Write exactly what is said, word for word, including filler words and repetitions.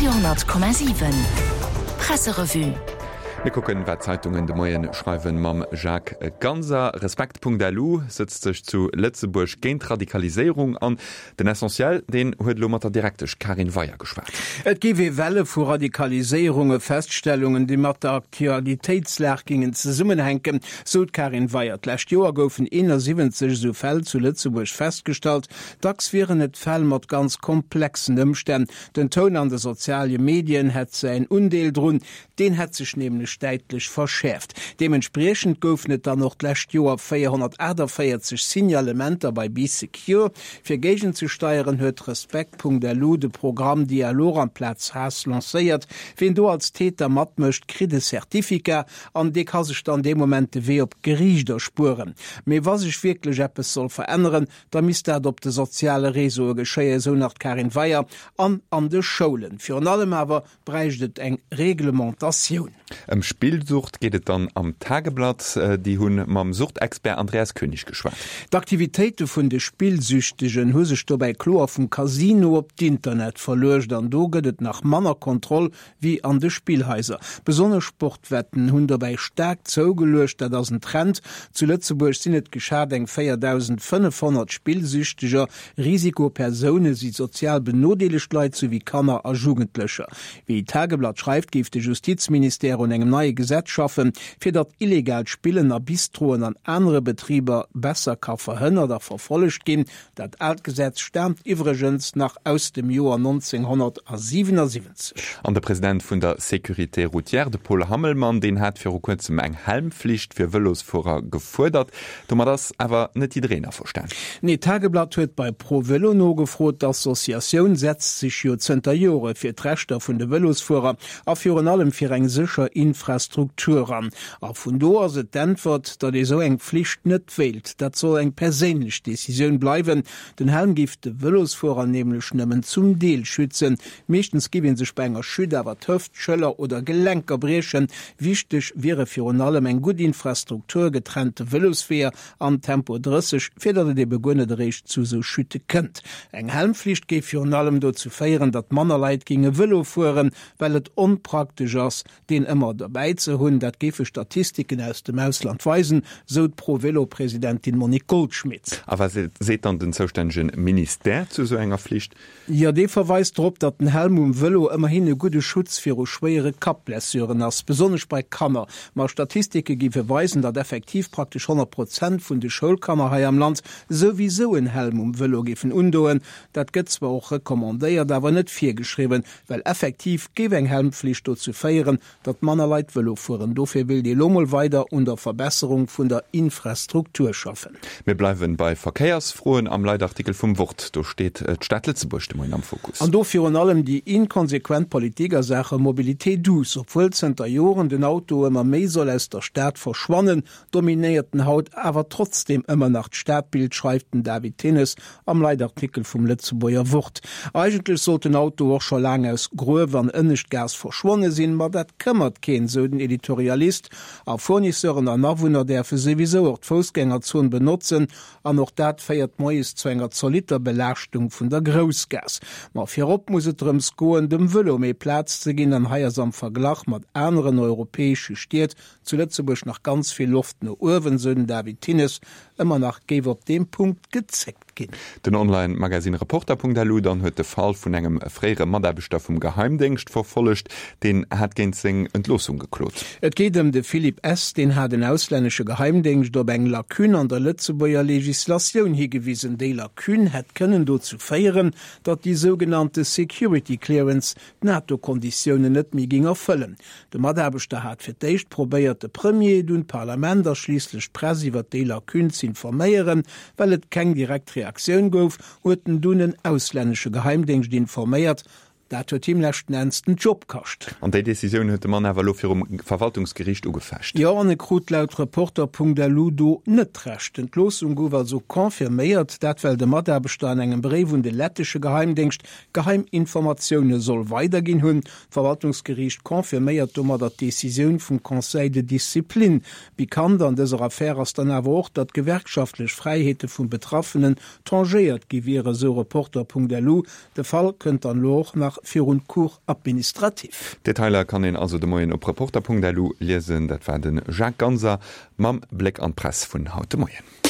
Radio honnert Komma siwen Presserevue. Mir kucken, wat d'Zeitungen de Moien schreiwen, mam Jacques Ganser. Respekt.lu sëtzt sech zu Lëtzebuerg géint Radikaliséierung an. Den Essentiel, deen huet elo mat der Direktesch Karin Weyer geschwat. Et géif ee Welle vu Radikaliséierunge feststellungen, déi mat der Aktualitéitslag gingen zesummenhänken, sou d'Karin Weyer. D'lescht Joer goufen eenasiwwenzeg esou Fäll zu Lëtzebuerg festgestallt. Dacks wieren et Fäll mat ganz komplexen Ëmstänn. Den Toun an de soziale Medien hätt säin Undeel drun. Deen hätt sech nämlech däitlech verschäerft. Deementspriechend goufen et dann och d'lescht Joer véierhonnertaachtavéierzeg Signalementer bei Bee Secure. Fir géigenzesteieren huet Respekt.lu de Programm Dialog amplaz Haass lancéiert. Wien do als Täter matmécht, kritt e Certificat an dee ka sech dann dee Moment de Wee op d'Geriicht erspueren. Mee wa sech wierklech eppes soll veränneren, da misst dat op de soziale Réseaue geschéien, esou nach d'Karin Weyer, an an de Schoulen. Virun allem awer bräicht et eng Reglementatioun. Ëm Spillsucht geet et dann am Tageblatt. Déi hu mam Suchtexpert Andreas König geschwat. D'Aktivitéite vun de Spillsüchtegen hu sech dobäi kloer vum Casino op d'Internet verluecht an do gëtt et nach manner Kontroll wéi an de Spillhaiser. Besonnesch Sportwetten hunn dobäi staark zougeluecht. Dat ass en Trend. Zu Lëtzebuerg sinn et geschat eng véierdausendfënnefhonnert Spillsüchteger. Risikopersoune si sozial benodeelegt Leit souwéi Kanner a Jugendlecher. Wéi d'Tageblatt schreift, géif de Justizministère un engem neie Gesetz schaffen, fir datt illegaalt Spillen a Bistroen an anere Betriber besser ka verhënnert a verfollegt ginn. Dat aalt Gesetz staamt iwwregens nach aus dem Joer nonzénghonnertsiwenasiwwenzeg. An de President vun der Sécurité routière, de Paul Hammelmann, deen hat viru kuerzem eng Helmflicht fir Vëlosfuerer gefuerdert. Domat ass awer net jiddereen averstan. Nee, d'Tageblatt huet bei Pro Vëlo nogefrot. D'Associatioun setzt sech jo zënter Jore fir d'Rechter vun de Vëlosfuerer a virun allem fir eng sécher Infrastruktur an. A vun do ass et d'Äntwert, datt ee sou eng Flicht net wéilt. Dat soll eng perséinlech Decisioun bleiwen. Den Helm géif de Vëlosfuerer nämlech nëmmen zum Deel schützen. Meeschtens géif ee sech bei enger Chute awer d'Hëft, d'Schëller oder Gelenker briechen. Wichteg wiere virun allem eng gutt Infrastruktur, getrennte Vëlosweeër an Tempo drësseg, fir datt et ebe guer net eréischt zu sou Chute kënnt. Eng Helmflicht géif virun allem dozou féieren, datt manner Leit géinge Vëlo fueren, well et onpraktesch ass, deen ëmmer derbäi ze hunn. Dat géife Statistiken aus dem Ausland weisen, sou d'Pro-Vélo-Presidentin Monique Goldschmit. A wat seet dann den zoustännege Ministère zu esou enger Flicht? Jo, dee verweist drop, datt den Helm um Vëlo ëmmerhin e gudde Schutz viru schwéiere Kappblessuren ass, besonnesch bei Kanner. Ma Statistike géife weisen, datt effektiv praktesch honnert Prozent vun de Schoulkanner hei am Land souwisou en Helm um Vëlo géifen undoen. Dat gëtt zwar och recommandéiert, awer net virgeschriwwen, well effektiv géif eng Helmflicht dozou féieren, datt manner Leit Vëlo fueren. Dofir wéilt ee lo mol weider un der Verbesserung vun der Infrastruktur schaffen. Mir bleiwen bei Verkéiersfroen am Leitartikel vum Wort. Do steet d'Stad Lëtzebuerg de Moien am Fokus. An do virun allem déi inkonsequent Politik a Saache Mobilité douce. Obwuel zënter Joren den Auto ëmmer méi soll aus der Stad verschwannen, dominéiert en haut awer trotzdeem ëmmer nach d'Stadbild, schreift den David Thinnes am Leitartikel vum Lëtzebuerger Wort. Eigentlech sollt den Auto och scho laang aus Gruef an Ënneschtgaass verschwonne sinn, ma dat këmmert keen, sou den Editorialist. A Fournisseuren an Awunner däerfe souwisou och d'Foussgängerzon benotzen, an och dat féiert moies zu enger zolitter Belaaschtung vun der Groussgaass. Ma virop muss et drëms goen, dem Vëlo méi Plaz ze ginn, an hei ass am Verglach mat aneren europäesche Stied zu Lëtzebuerg nach ganz vill Loft no uewen, sou den David Thinnes. Ëmmer nach géif op deem Punkt gezéckt ginn. Den Online-Magasinn Reporter.lu dann huet de Fall vun engem fréiere Mataarbechter vum Geheimdéngscht verfollegt, deen hat géint seng Entloossung geklot. Et geet ëm de Philippe S. Deen hat en auslännesche Geheimdéngscht op eng Lacune an der Lëtzebuerger Legislatioun higewisen. Déi Lacune hätt kënnen dozou féieren, datt déi sougenannte Security Clearance d'NATO-Konditiounen net méi géing erfëllen. De Mataarbechter hat fir d'éischt probéiert, de Premier, dunn d'Parlament a schliisslech d'Press iwwer déi Lacune z'informéieren. Well et keng direkt Reaktioun gouf, huet en dunn en auslännesche Geheimdéngscht informéiert. Dat huet him leschten Enns den Job kascht. An déi Decisioun huet de Mann awer elo virum Verwaltungsgeriicht ugefecht. Jo, an e krut laut Reporter.lu do net Recht. D'Entloossung gouf also confirméiert, dat well de Mataarbechter an engem Bréif un de lettesche Geheimdéngscht geheim Informatioune soll weiderginn hunn. D'Verwaltungsgeriicht confirméiert domadder d'Decisioun vum Conseil de discipline. Pikant an dëser Affär ass dann awer och, datt d'gewerkschaftlech Fräiheete vum Betraffenen tangéiert gi wieren, sou Reporter.lu. De Fall kënnt dann elo och nach virun d'Cour administrative. Detailer kann een also de Moien op Reporter.lu liesen. Dat war de Jacques Ganser mam Bléck an d'Press vun haut de Moien.